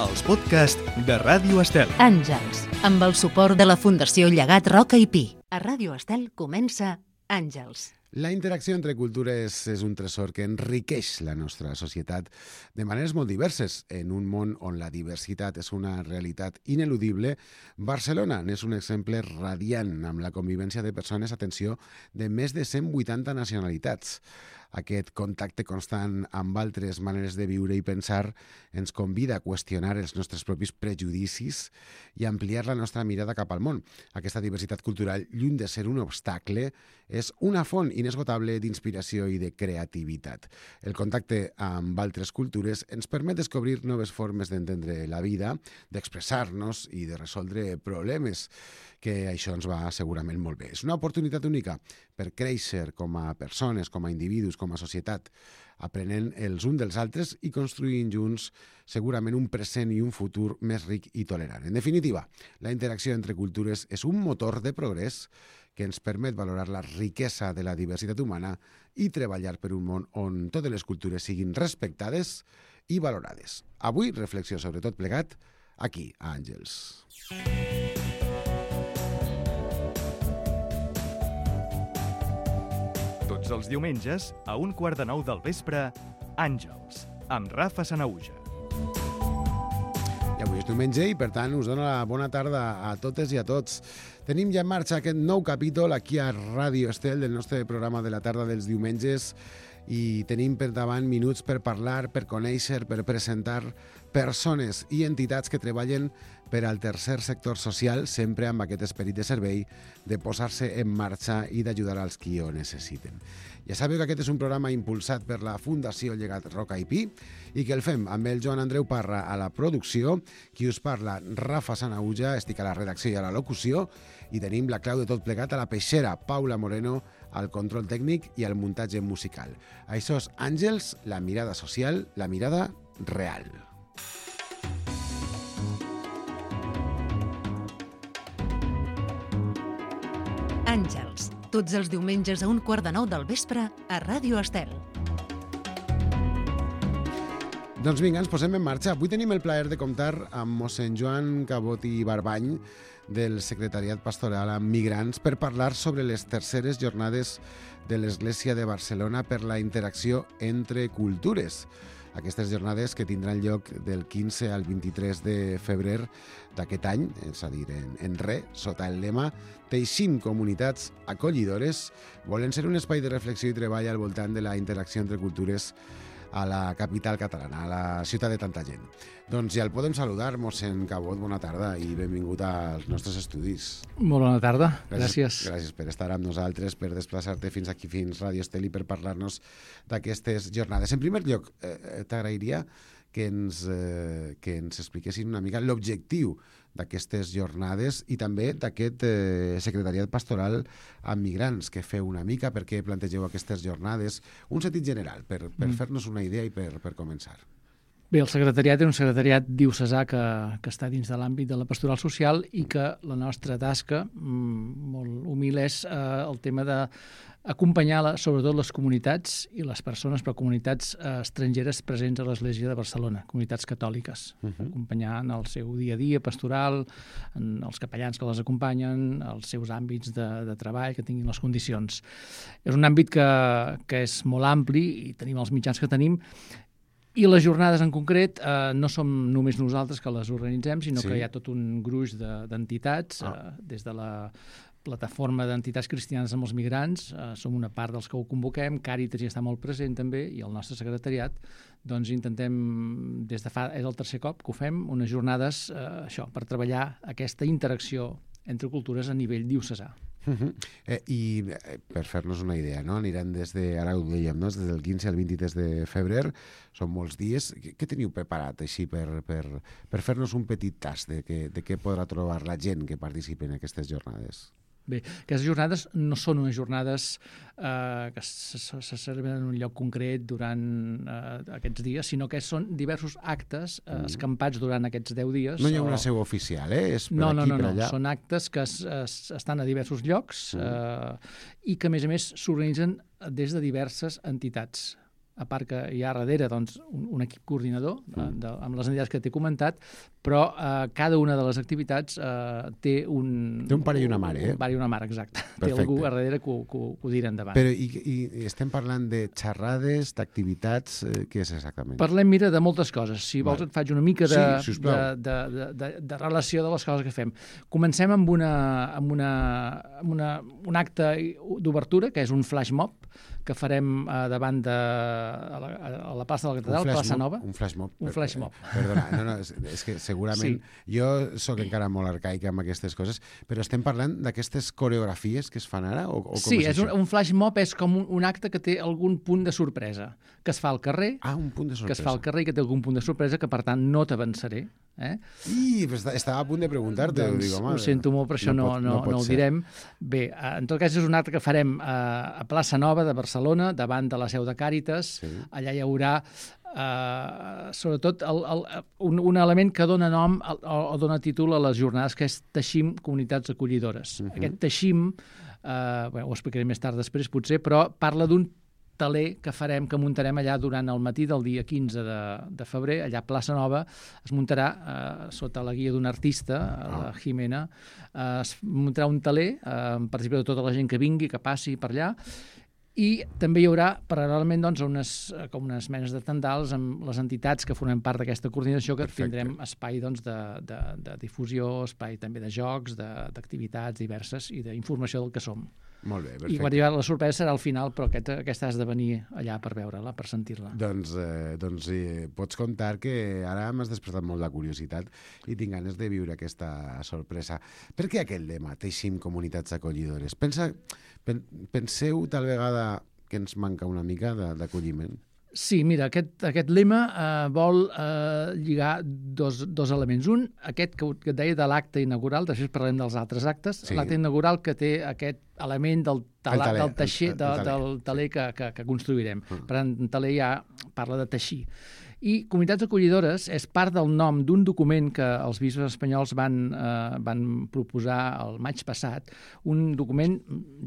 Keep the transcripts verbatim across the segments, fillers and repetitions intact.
els podcasts de Ràdio Estel. Àngels, amb el suport de la Fundació Llegat Roca i Pi. A Ràdio Estel comença Àngels. La interacció entre cultures és un tresor que enriqueix la nostra societat de maneres molt diverses. En un món on la diversitat és una realitat ineludible, Barcelona n'és un exemple radiant amb la convivència de persones, atenció, de més de cent vuitanta nacionalitats. Aquest contacte constant amb altres maneres de viure i pensar ens convida a qüestionar els nostres propis prejudicis i ampliar la nostra mirada cap al món. Aquesta diversitat cultural, lluny de ser un obstacle, és una font inesgotable d'inspiració i de creativitat. El contacte amb altres cultures ens permet descobrir noves formes d'entendre la vida, d'expressar-nos i de resoldre problemes, que això ens va segurament molt bé. És una oportunitat única per créixer com a persones, com a individus, com a societat, aprenent els uns dels altres i construint junts segurament un present i un futur més ric i tolerant. En definitiva, la interacció entre cultures és un motor de progrés que ens permet valorar la riquesa de la diversitat humana i treballar per un món on totes les cultures siguin respectades i valorades. Avui, reflexió sobre tot plegat, aquí, a Àngels. Tots els diumenges, a un quart de nou del vespre, Àngels, amb Rafa Sanahuja. I avui és diumenge i, per tant, us dono la bona tarda a totes i a tots. Tenim ja en marxa aquest nou capítol aquí a Ràdio Estel del nostre programa de la tarda dels diumenges i tenim per davant minuts per parlar, per conèixer, per presentar persones i entitats que treballen per al tercer sector social, sempre amb aquest esperit de servei, de posar-se en marxa i d'ajudar als qui ho necessiten. Ja sabeu que aquest és un programa impulsat per la Fundació Llegat Roca i Pi i que el fem amb el Joan Andreu Parra a la producció, qui us parla, Rafa Sanahuja, estic a la redacció i a la locució, i tenim la clau de tot plegat a la peixera, Paula Moreno, al control tècnic i al muntatge musical. Això és Àngels, la mirada social, la mirada real. Àngels, tots els diumenges a un quart de nou del vespre a Ràdio Estel. Doncs vinga, ens posem en marxa. Avui tenim el plaer de comptar amb mossèn Joan Cabot i Barbany del Secretariat Pastoral amb Migrants per parlar sobre les terceres jornades de l'Església de Barcelona per la interacció entre cultures. Aquestes jornades que tindran lloc del quinze al vint-i-tres de febrer d'aquest any, és a dir, en, en re, sota el lema Teixint comunitats acollidores, volen ser un espai de reflexió i treball al voltant de la interacció entre cultures a la capital catalana, a la ciutat de tanta gent. Doncs ja el podem saludar, mossèn Cabot, bona tarda i benvingut als nostres estudis. Molt bona tarda, gràcies. Gràcies, gràcies per estar amb nosaltres, per desplaçar-te fins aquí, fins Ràdio Estel i per parlar-nos d'aquestes jornades. En primer lloc, eh, t'agrairia que ens, eh, que ens expliquessin una mica l'objectiu d'aquestes jornades i també d'aquest eh, secretariat pastoral amb migrants que feu una mica, per què plantegeu aquestes jornades, un sentit general, per, per mm. fer-nos una idea i per, per començar. Bé, el secretariat és un secretariat diocesà que, que està dins de l'àmbit de la pastoral social i que la nostra tasca, mm, molt humil, és eh, el tema d'acompanyar la, sobretot les comunitats i les persones, però comunitats eh, estrangeres presents a l'Església de Barcelona, comunitats catòliques, uh -huh. acompanyar en el seu dia a dia pastoral, en els capellans que les acompanyen, els seus àmbits de, de treball, que tinguin les condicions. És un àmbit que, que és molt ampli i tenim els mitjans que tenim. I les jornades en concret eh, no som només nosaltres que les organitzem, sinó sí. que hi ha tot un gruix d'entitats, de, ah. eh, des de la plataforma d'entitats cristianes amb els migrants, eh, som una part dels que ho convoquem, Càritas hi està molt present també, i el nostre secretariat, doncs intentem, des de fa, és el tercer cop que ho fem, unes jornades, eh, això, per treballar aquesta interacció entre cultures a nivell diocesà. Uh -huh. eh, I eh, per fer-nos una idea, no? Aniran des de, ara ho dèiem, no? Des del quinze al vint-i-tres de febrer, són molts dies. Què, què teniu preparat així per, per, per fer-nos un petit tast de, que, de què podrà trobar la gent que participi en aquestes jornades? Bé, aquestes jornades no són unes jornades eh, que se, se celebren en un lloc concret durant eh, aquests dies, sinó que són diversos actes eh, escampats durant aquests deu dies. No hi ha una seu oficial, eh? És per no, aquí, no, no, per no, allà. Són actes que es, es, estan a diversos llocs eh, i que, a més a més, s'organitzen des de diverses entitats a part que hi ha darrere doncs, un, un equip coordinador de, Mm. de, amb les entitats que t'he comentat, però eh, cada una de les activitats eh, té un... Té un pare i una mare, eh? Un pare i una mare, exacte. Perfecte. Té algú a darrere que ho, que ho, que ho dirà endavant. Però i, i estem parlant de xerrades, d'activitats, eh, què és exactament? Parlem, mira, de moltes coses. Si vols Val. et faig una mica de, Sí, sisplau. de, de, de, de, de relació de les coses que fem. Comencem amb, una, amb, una, amb una, un acte d'obertura, que és un flash mob, que farem eh, davant de a la, a la plaça de la Catedral, plaça mob, Nova. Un flash mob. Un flash mob. Perdona, no, no, és, és que segurament... Sí. Jo sóc encara molt arcaic amb aquestes coses, però estem parlant d'aquestes coreografies que es fan ara? O, o com Sí, és, és un, això? un flash mob és com un, un acte que té algun punt de sorpresa, que es fa al carrer, Ah, un punt de sorpresa. que es fa al carrer i que té algun punt de sorpresa, que per tant no t'avançaré. Eh? I estava a punt de preguntar-te. Doncs, dic, home, ho sento molt, però això no, pot- no, no, pot no ho ser. direm. Bé, eh, en tot cas és un acte que farem eh, a Plaça Nova de Barcelona, davant de la seu de Càritas. Sí. Allà hi haurà eh, sobretot el, el, un, un element que dona nom o, o dona títol a les jornades, que és Teixim Comunitats Acollidores. Mhm. Aquest Teixim, eh, bé, ho explicaré més tard després potser, però parla d'un taler que farem, que muntarem allà durant el matí del dia quinze de, de febrer, allà a Plaça Nova. Es muntarà, eh, sota la guia d'un artista, Ah. la Jimena, eh, es muntarà un taler, eh, amb participació de tota la gent que vingui, que passi per allà, i també hi haurà, paral·lelament, doncs, unes, eh, com unes menes de tendals amb les entitats que formem part d'aquesta coordinació, que Perfecte. tindrem espai doncs, de, de, de difusió, espai també de jocs, de- d'activitats diverses i d'informació del que som. Molt bé, I perfecte. quan arribarà la sorpresa serà al final, però aquest, aquesta has de venir allà per veure-la, per sentir-la. Doncs, eh, doncs eh, pots contar que ara m'has despertat molt la curiositat i tinc ganes de viure aquesta sorpresa. Per què aquest lema, Teixim Comunitats Acollidores? Pensa, pen, penseu tal vegada que ens manca una mica de- d'acolliment? Sí, mira, aquest, aquest lema eh, vol eh, lligar dos, dos elements. Un, aquest que, que et deia de l'acte inaugural, després parlarem dels altres actes. Sí. L'acte inaugural que té aquest element del, tala, El taler, del teixer, el- el de, taler. del taler que, que, que construirem. Mm. Per tant, el taler ja parla de teixir. I Comunitats Acollidores és part del nom d'un document que els bisbes espanyols van, eh, van proposar el maig passat, un document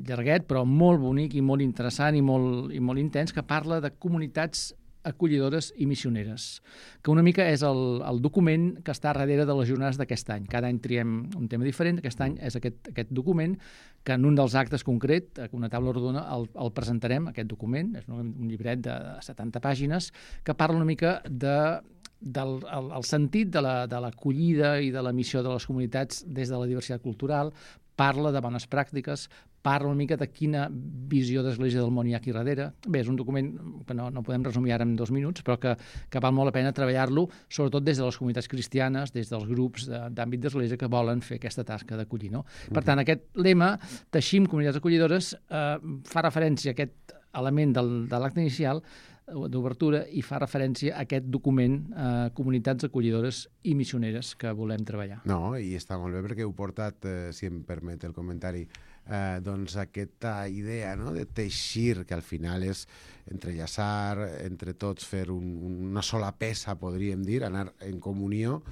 llarguet però molt bonic i molt interessant i molt, i molt intens, que parla de comunitats acollidores i missioneres, que una mica és el, el document que està darrere de les jornades d'aquest any. Cada any triem un tema diferent, aquest any és aquest, aquest document, que en un dels actes concret, una taula rodona, el, el presentarem, aquest document, és un, un llibret de setanta pàgines, que parla una mica de del el, el sentit de la, de l'acollida i de la missió de les comunitats des de la diversitat cultural, parla de bones pràctiques, parla una mica de quina visió d'Església del món hi ha aquí darrere. Bé, és un document que no, no podem resumir ara en dos minuts, però que, que val molt la pena treballar-lo, sobretot des de les comunitats cristianes, des dels grups de, d'àmbit d'Església que volen fer aquesta tasca d'acollir. No? Per tant, aquest lema, Teixim Comunitats Acollidores, eh, fa referència a aquest element del, de l'acte inicial d'obertura i fa referència a aquest document eh, Comunitats Acollidores i Missioneres que volem treballar. No, i està molt bé perquè heu portat, eh, si em permet el comentari, eh, doncs aquesta idea, no?, de teixir, que al final és entrellaçar, entre tots fer un, una sola peça, podríem dir, anar en comunió,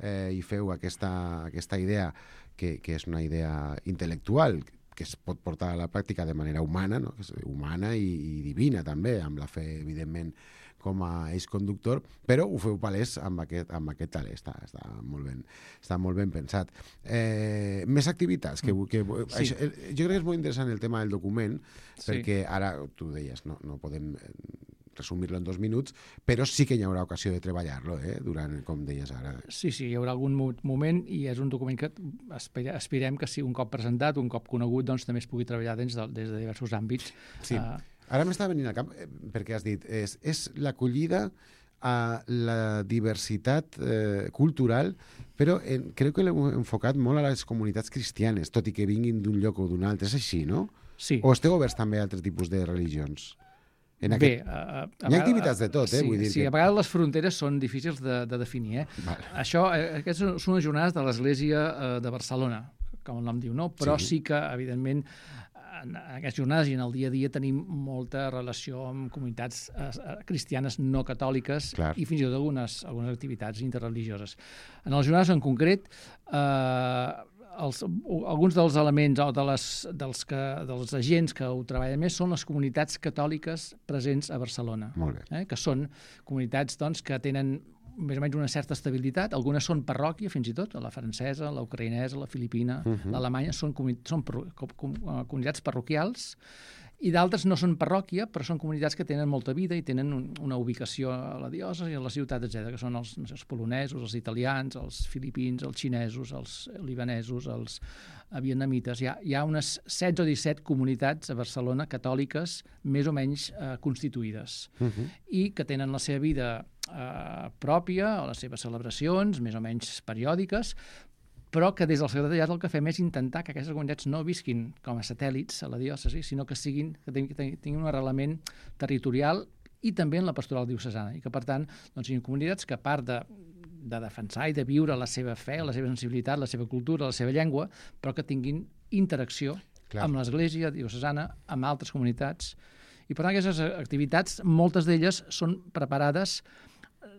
eh, i feu aquesta, aquesta idea que, que és una idea intel·lectual, que es pot portar a la pràctica de manera humana, no? Que és humana i, i divina també, amb la fe, evidentment, com a eix conductor, però ho feu palès amb aquest, amb aquest taler. Està, està, molt ben, està molt ben pensat. Eh, més activitats. Que, que, Sí. això, eh, jo crec que és molt interessant el tema del document, Sí. perquè ara, tu deies, no, no podem resumir-lo en dos minuts, però sí que hi haurà ocasió de treballar-lo, eh, durant, com deies ara. Sí, sí, hi haurà algun mo- moment i és un document que aspira, aspirem que sigui un cop presentat, un cop conegut, doncs també es pugui treballar des de, des de diversos àmbits. Sí. Uh, Ara m'està venint al cap, eh, perquè has dit, és, és l'acollida a la diversitat eh, cultural, però en, crec que l'hem enfocat molt a les comunitats cristianes, tot i que vinguin d'un lloc o d'un altre. És així, no? sí. O esteu oberts també a altres tipus de religions? En Bé, aquest... a, a, a Hi ha vegades- activitats de tot, eh, sí, vull dir sí, que- a vegades les fronteres són difícils de, de definir. Eh? Vale. Això, eh, aquestes són unes jornades de l'Església eh, de Barcelona, com el nom diu, no? Però Sí. sí, sí que, evidentment, en aquestes jornades i en el dia a dia tenim molta relació amb comunitats eh, eh, cristianes no catòliques Clar. i fins i tot algunes, algunes activitats interreligioses. En les jornades en concret, eh, els, alguns dels elements o de les, dels, que, dels agents que ho treballen més són les comunitats catòliques presents a Barcelona. Molt bé. Eh? Que són comunitats doncs, que tenen més o menys una certa estabilitat. Algunes són parròquia, fins i tot, la francesa, la ucraïnesa, la filipina, uh -huh. l'alemanya, són, comuni són com, com, comunitats parroquials, i d'altres no són parròquia, però són comunitats que tenen molta vida i tenen un, una ubicació a la diòcesi, a la ciutat, etcètera, que són els, no sé, els polonesos, els italians, els filipins, els xinesos, els libanesos, els vietnamites. Hi ha, hi ha unes setze o disset comunitats a Barcelona catòliques més o menys eh, constituïdes uh -huh. i que tenen la seva vida eh, pròpia, o les seves celebracions, més o menys periòdiques, però que des del secretariat el que fem és intentar que aquestes comunitats no visquin com a satèl·lits a la diòcesi, sinó que siguin que tinguin un arrelament territorial i també en la pastoral diocesana, i que, per tant, doncs, siguin comunitats que, a part de, de defensar i de viure la seva fe, la seva sensibilitat, la seva cultura, la seva llengua, però que tinguin interacció Clar. amb l'Església diocesana, amb altres comunitats. I, per tant, aquestes activitats, moltes d'elles són preparades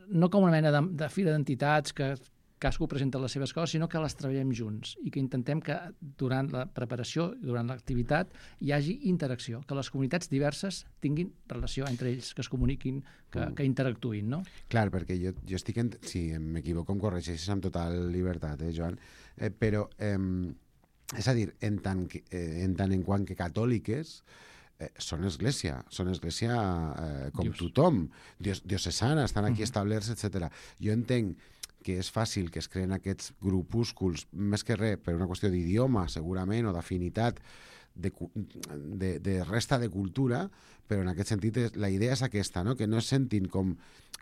no com una mena de, de fira d'entitats que cadascú presenta les seves coses, sinó que les treballem junts i que intentem que durant la preparació, durant l'activitat, hi hagi interacció, que les comunitats diverses tinguin relació entre ells, que es comuniquin, que, mm. que interactuïn, no? Clar, perquè jo, jo estic... En, si m'equivoco, em corregeixes amb total llibertat, eh, Joan? Eh, però, eh, és a dir, en tant, que, eh, en tant en quant que catòliques, Eh, són església, són església eh, com Dios. tothom, Dios, diocesana, estan aquí uh -huh. establerts, etcètera. Jo entenc que és fàcil que es creen aquests grupúsculs, més que res, per una qüestió d'idioma, segurament, o d'afinitat, de, de, de resta de cultura, però en aquest sentit la idea és aquesta, no? Que no es sentin com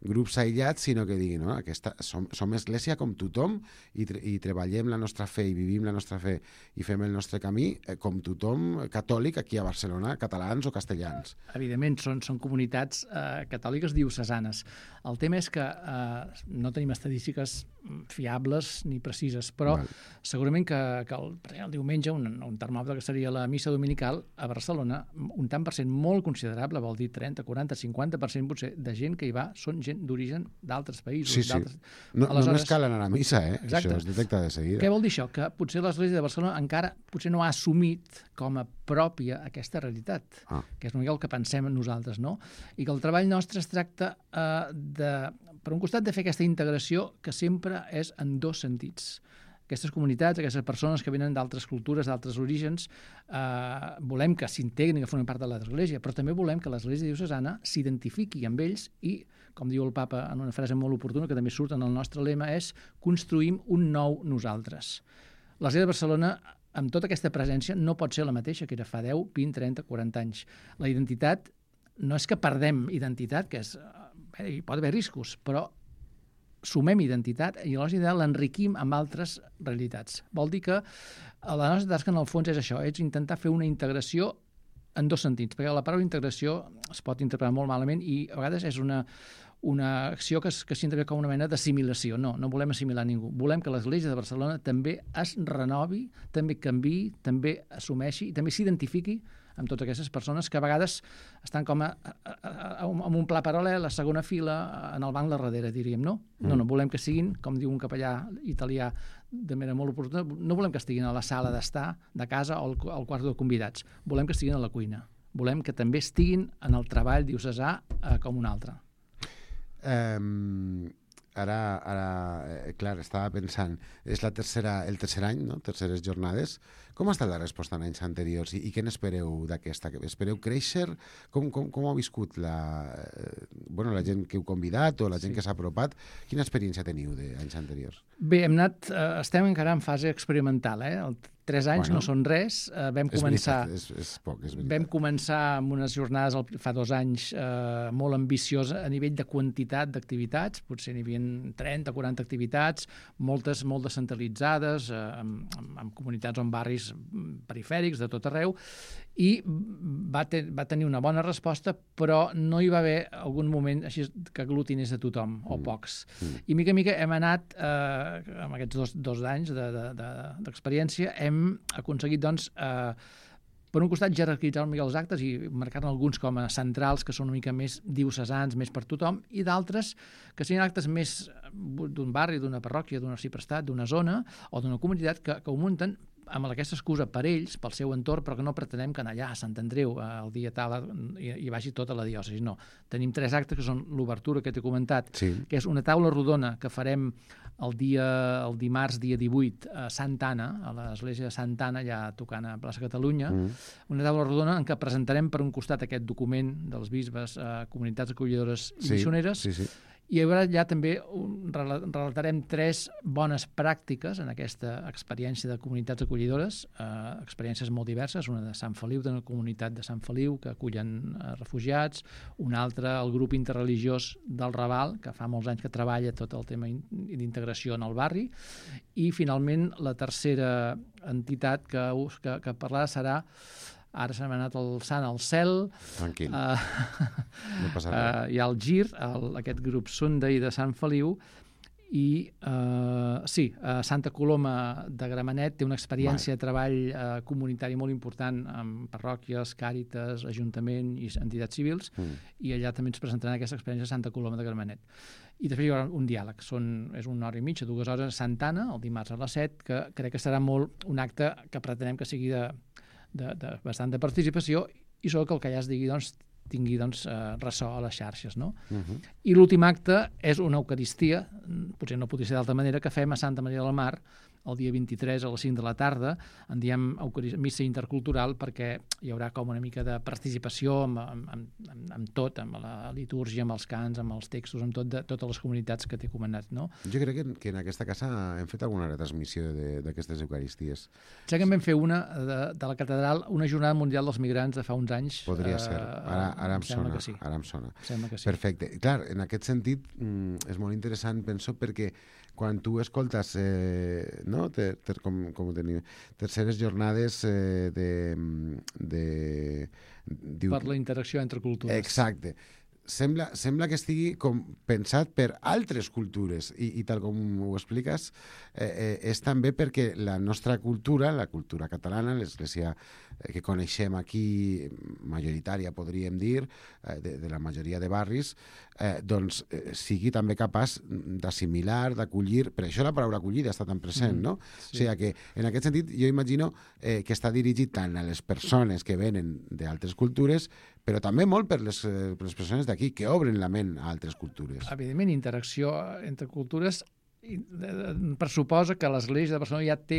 grups aïllats, sinó que diguin, no? Aquesta, som, som església com tothom i, tre i treballem la nostra fe i vivim la nostra fe i fem el nostre camí eh, com tothom catòlic aquí a Barcelona, catalans o castellans. Evidentment, són, són comunitats eh, catòliques diocesanes. El tema és que eh, no tenim estadístiques fiables ni precises, però Val. segurament que, que el, el diumenge un, un termòmetre que seria la missa dominical a Barcelona, un tant per cent molt considerable, vol dir trenta, quaranta, cinquanta per cent potser de gent que hi va són gent d'origen d'altres països. Sí, sí. No, Aleshores, només cal anar a missa, eh? Exacte. Això es detecta de seguida. Què vol dir això? Que potser l'Església de Barcelona encara potser no ha assumit com a pròpia aquesta realitat, ah. que és una mica el que pensem nosaltres, no? I que el treball nostre es tracta eh, de, per un costat, de fer aquesta integració que sempre és en dos sentits. Aquestes comunitats, aquestes persones que venen d'altres cultures, d'altres orígens, eh, volem que s'integrin, que formin part de l'Església, però també volem que l'Església diocesana s'identifiqui amb ells i, com diu el papa en una frase molt oportuna, que també surt en el nostre lema, és construïm un nou nosaltres. L'Església de Barcelona, amb tota aquesta presència, no pot ser la mateixa que era fa deu, vint, trenta, quaranta anys. La identitat no és que perdem identitat, que és, bé, hi pot haver riscos, però sumem identitat i llavors l'enriquim amb altres realitats. Vol dir que la nostra tasca en el fons és això, és intentar fer una integració en dos sentits, perquè la paraula integració es pot interpretar molt malament i a vegades és una, una acció que, es, que s'interpreta com una mena d'assimilació. No, no volem assimilar ningú. Volem que l'Església de Barcelona també es renovi, també canviï, també assumeixi i també s'identifiqui amb totes aquestes persones que a vegades estan com a, a, a, a, en un pla paral·lel, a segona fila, en el banc de darrere, diríem, no? No, no, volem que siguin, com diu un capellà italià de manera molt oportuna, no volem que estiguin a la sala d'estar de casa o al, al quart de convidats, volem que estiguin a la cuina, volem que també estiguin en el treball diocesà eh, com un altre. Um... Ara, ara eh, clar, estava pensant, és la tercera, el tercer any, no? Terceres jornades. Com ha estat la resposta en anys anteriors i, i què n'espereu d'aquesta? Espereu créixer? Com, com, com ha viscut la, eh, bueno, la gent que heu convidat o la gent sí. que s'ha apropat? Quina experiència teniu d'anys anteriors? Bé, hem anat, eh, estem encara en fase experimental, eh? El Tres anys bueno, no són res. Uh, vam és començar, veritat, és, és poc, és veritat. Vam començar amb unes jornades el, fa dos anys uh, molt ambicioses a nivell de quantitat d'activitats, potser n'hi havia trenta, quaranta activitats, moltes molt descentralitzades, uh, amb, amb, amb comunitats o en barris perifèrics de tot arreu, i va, te, va tenir una bona resposta, però no hi va haver algun moment així que aglutinés a tothom, o pocs. Mm. I mica a mica hem anat, eh, amb aquests dos, dos anys d'experiència, de, de, de, hem aconseguit, doncs, eh, per un costat, jerarquitzar una mica els actes i marcar-ne alguns com a centrals, que són una mica més diocesans, més per tothom, i d'altres que siguin actes més d'un barri, d'una parròquia, d'un arxiprestat, d'una zona o d'una comunitat que, que ho munten amb aquesta excusa per ells, pel seu entorn, però que no pretenem que allà a Sant Andreu el dia tal hi, hi vagi tota la diòcesi. No. Tenim tres actes que són l'obertura que t'he comentat, Sí. que és una taula rodona que farem el dia el dimarts, dia divuit, a Santa Anna, a l'església de Santa Anna, allà tocant a Plaça Catalunya, Mm. una taula rodona en què presentarem per un costat aquest document dels bisbes a comunitats acollidores i Sí, missioneres, sí, sí. i llavors ja també un- rela- relatarem tres bones pràctiques en aquesta experiència de comunitats acollidores, eh, experiències molt diverses, una de Sant Feliu, d'una comunitat de Sant Feliu que acullen eh, refugiats, una altra el grup interreligiós del Raval, que fa molts anys que treballa tot el tema in- d'integració en el barri, i finalment la tercera entitat que, us- que, que parlarà serà, ara se m'ha anat el sant al cel, Tranquil, eh, no passa res. Uh, hi ha el GIR, el, aquest grup Sunday de Sant Feliu, i uh, sí, uh, Santa Coloma de Gramenet té una experiència de treball uh, comunitari molt important amb parròquies, càritas, ajuntament i entitats civils, Mm. i allà també ens presentaran aquesta experiència a Santa Coloma de Gramenet. I després hi haurà un diàleg, Són, és una hora i mitja, dues hores a Santa Anna, el dimarts a les set, que crec que serà molt un acte que pretenem que sigui de, de, de bastant de participació, i sobretot que el que allà es digui doncs, tingui doncs, eh, ressò a les xarxes. No? Mhm. I l'últim acte és una Eucaristia, potser no podria ser d'altra manera, que fem a Santa Maria del Mar el dia vint-i-tres a les cinc de la tarda, en diem Eucaris- missa intercultural, perquè hi haurà com una mica de participació amb, amb, amb, amb, amb tot, amb la litúrgia, amb els cants, amb els textos, amb tot de totes les comunitats que t'he comentat. No? Jo crec que, que en aquesta casa hem fet alguna retransmissió de- d'aquestes eucaristies. Sé que en vam fer una de, de la catedral, una jornada mundial dels migrants de fa uns anys. Podria eh, ser. Ara, ara em sembla sona. que sí. Ara em sona. Sembla que sí. Perfecte. I clar, en aquest sentit mm, és molt interessant, penso, perquè quan tu escoltes eh, no? ter, ter, com, com ho tenim, terceres jornades eh, de... de diu, Per la interacció entre cultures. Exacte. Sembla, sembla que estigui com pensat per altres cultures i, i tal com ho expliques, eh, eh, és també perquè la nostra cultura, la cultura catalana, l'església eh, que coneixem aquí, majoritària podríem dir, eh, de, de la majoria de barris, eh, doncs eh, sigui també capaç d'assimilar, d'acollir, per això la paraula acollida està tan present, Mm, no? sí. O sigui que en aquest sentit jo imagino eh, que està dirigit tant a les persones que venen d'altres cultures, però també molt per les, eh, per les persones d'aquí, que obren la ment a altres cultures. Evidentment, interacció entre cultures i, eh, pressuposa que l'Església de Barcelona ja té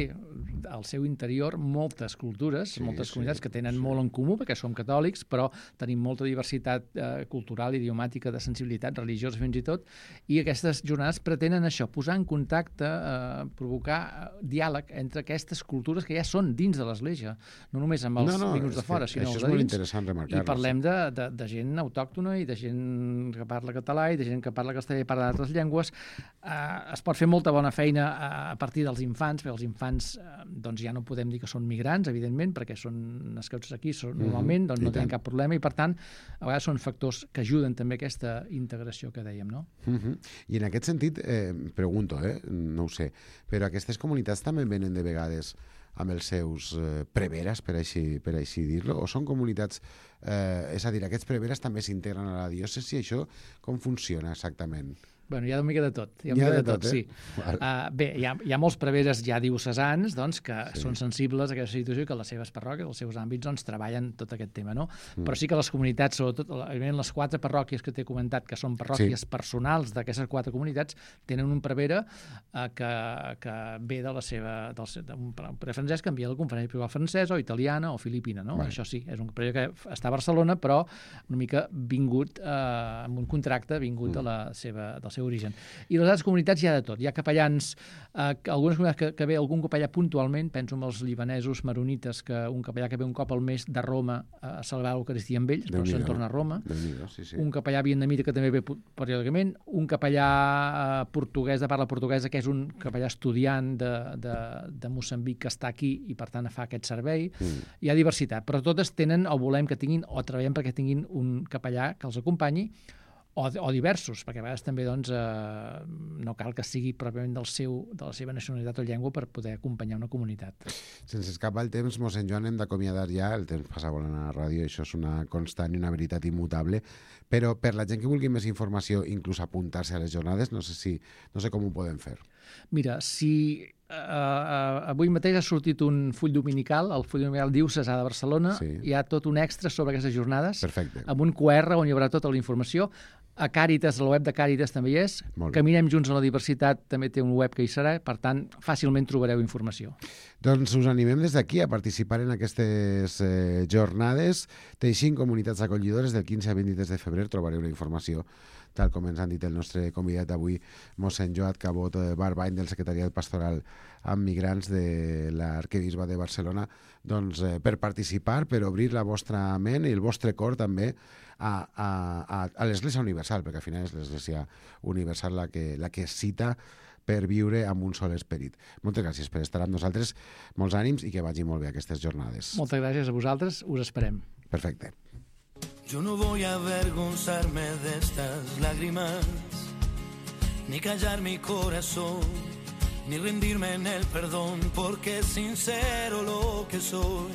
al seu interior moltes cultures, Sí, moltes sí, comunitats que tenen sí. molt en comú, perquè som catòlics, però tenim molta diversitat eh, cultural, idiomàtica, de sensibilitat religiosa fins i tot, i aquestes jornades pretenen això, posar en contacte, eh, provocar eh, diàleg entre aquestes cultures que ja són dins de l'Església, no només amb els No, no, vinguts és de fora, que sinó això els és de molt dins. interessant remarcar-ho, I parlem de, de, de gent autòctona i de gent que parla català i de gent que parla castellà i parla d'altres llengües. Eh, es pot fer molta bona feina a, a partir dels infants, perquè els infants eh, doncs ja no podem dir que són migrants, evidentment, perquè són nascuts aquí, són, Mhm, normalment doncs i no tenen tant. cap problema i, per tant, a vegades són factors que ajuden també a aquesta integració que dèiem, no? Uh -huh. I en aquest sentit, eh, pregunto, eh, no ho sé, però aquestes comunitats també venen de vegades amb els seus eh, preveres, per així, per així dir-lo, o són comunitats, eh, és a dir, aquests preveres també s'integren a la diòcesi, això com funciona exactament? Bueno, hi ha una mica de tot. Hi ha, Hi una ha mica de de tot, tot, eh? sí. Uh, bé, hi ha, hi ha molts preveres ja diocesans doncs, que Sí. sí. són sensibles a aquesta situació i que les seves parròquies, els seus àmbits, doncs, treballen tot aquest tema, no? Mm. Però sí que les comunitats, sobretot evidentment, les quatre parròquies que t'he comentat, que són parròquies Sí. personals d'aquestes quatre comunitats, tenen un prevere uh, que, que ve de la seva, del, seu- d'un prevere francès que envia a la conferència episcopal francesa o italiana o filipina, no? Vale. Això sí, és un prevere que està a Barcelona, però una mica vingut, uh, amb un contracte vingut Mm. de la seva, del seu origen. I les altres comunitats hi ha de tot. Hi ha capellans, eh, que algunes comunitats que, que ve algun capellà puntualment, penso en els libanesos maronites, que un capellà que ve un cop al mes de Roma a celebrar l'Eucaristia amb ells, però se'n Déu-n'hi-do. torna a Roma. Déu-n'hi-do, sí, sí. Un capellà vietnamita que també ve pu- periòdicament, un capellà eh, portuguès de parla portuguesa, que és un capellà estudiant de, de, de Moçambic que està aquí i, per tant, fa aquest servei. Mm. Hi ha diversitat, però totes tenen o volem que tinguin o treballem perquè tinguin un capellà que els acompanyi, o, o diversos, perquè a vegades també doncs, eh, no cal que sigui pròpiament del seu, de la seva nacionalitat o llengua per poder acompanyar una comunitat. Sense escapar el temps, mossèn Joan, hem d'acomiadar ja, el temps passa volant a la ràdio, això és una constant i una veritat immutable, però per la gent que vulgui més informació, inclús apuntar-se a les jornades, no sé si no sé com ho podem fer. Mira, si Uh, avui mateix ha sortit un full dominical, el full dominical Diocesà de Barcelona, sí. Hi ha tot un extra sobre aquestes jornades. Perfecte. Amb un Q R on hi haurà tota la informació. A Càritas, la web de Càritas també hi és. Caminem Junts a la Diversitat també té un web que hi serà, per tant, fàcilment trobareu informació. Doncs us animem des d'aquí a participar en aquestes eh, jornades. Teixint comunitats acollidores del quinze a vint-i-tres de febrer trobareu la informació, tal com ens han dit el nostre convidat d'avui, mossèn Joan Cabot Barbany, del Secretariat Pastoral amb Migrants de l'Arquebisbe de Barcelona, doncs, eh, per participar, per obrir la vostra ment i el vostre cor també a, a, a, a l'Església Universal, perquè al final és l'Església Universal la que, la que cita per viure amb un sol esperit. Moltes gràcies per estar amb nosaltres, molts ànims i que vagi molt bé aquestes jornades. Moltes gràcies a vosaltres, us esperem. Perfecte. Yo no voy a avergonzarme de estas lágrimas, ni callar mi corazón, ni rendirme en el perdón, porque es sincero lo que soy.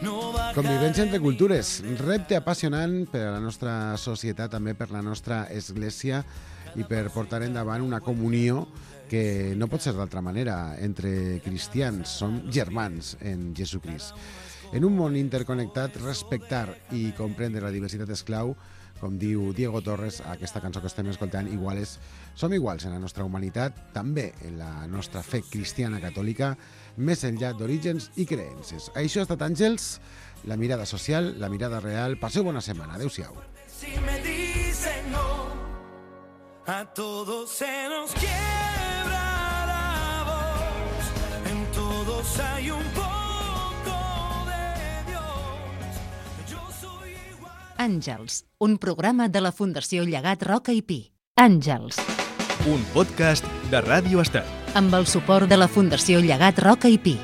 No Convivència entre cultures, repte apassionant per a la nostra societat, també per la nostra església i per portar endavant una comunió que no pot ser d'altra manera entre cristians, som germans en Jesucrist. En un món interconnectat, respectar i comprendre la diversitat és clau. Com diu Diego Torres, aquesta cançó que estem escoltant, iguales, som iguals en la nostra humanitat, també en la nostra fe cristiana catòlica, més enllà d'orígens i creences. Això ha estat Àngels, la mirada social, la mirada real. Passeu bona setmana. Adéu-siau. Si me dicen no, a todos se nos quiebra la voz, en todos hay un poco. Àngels, un programa de la Fundació Llegat Roca i Pi. Àngels. Un podcast de Ràdio Estel. Amb el suport de la Fundació Llegat Roca i Pi.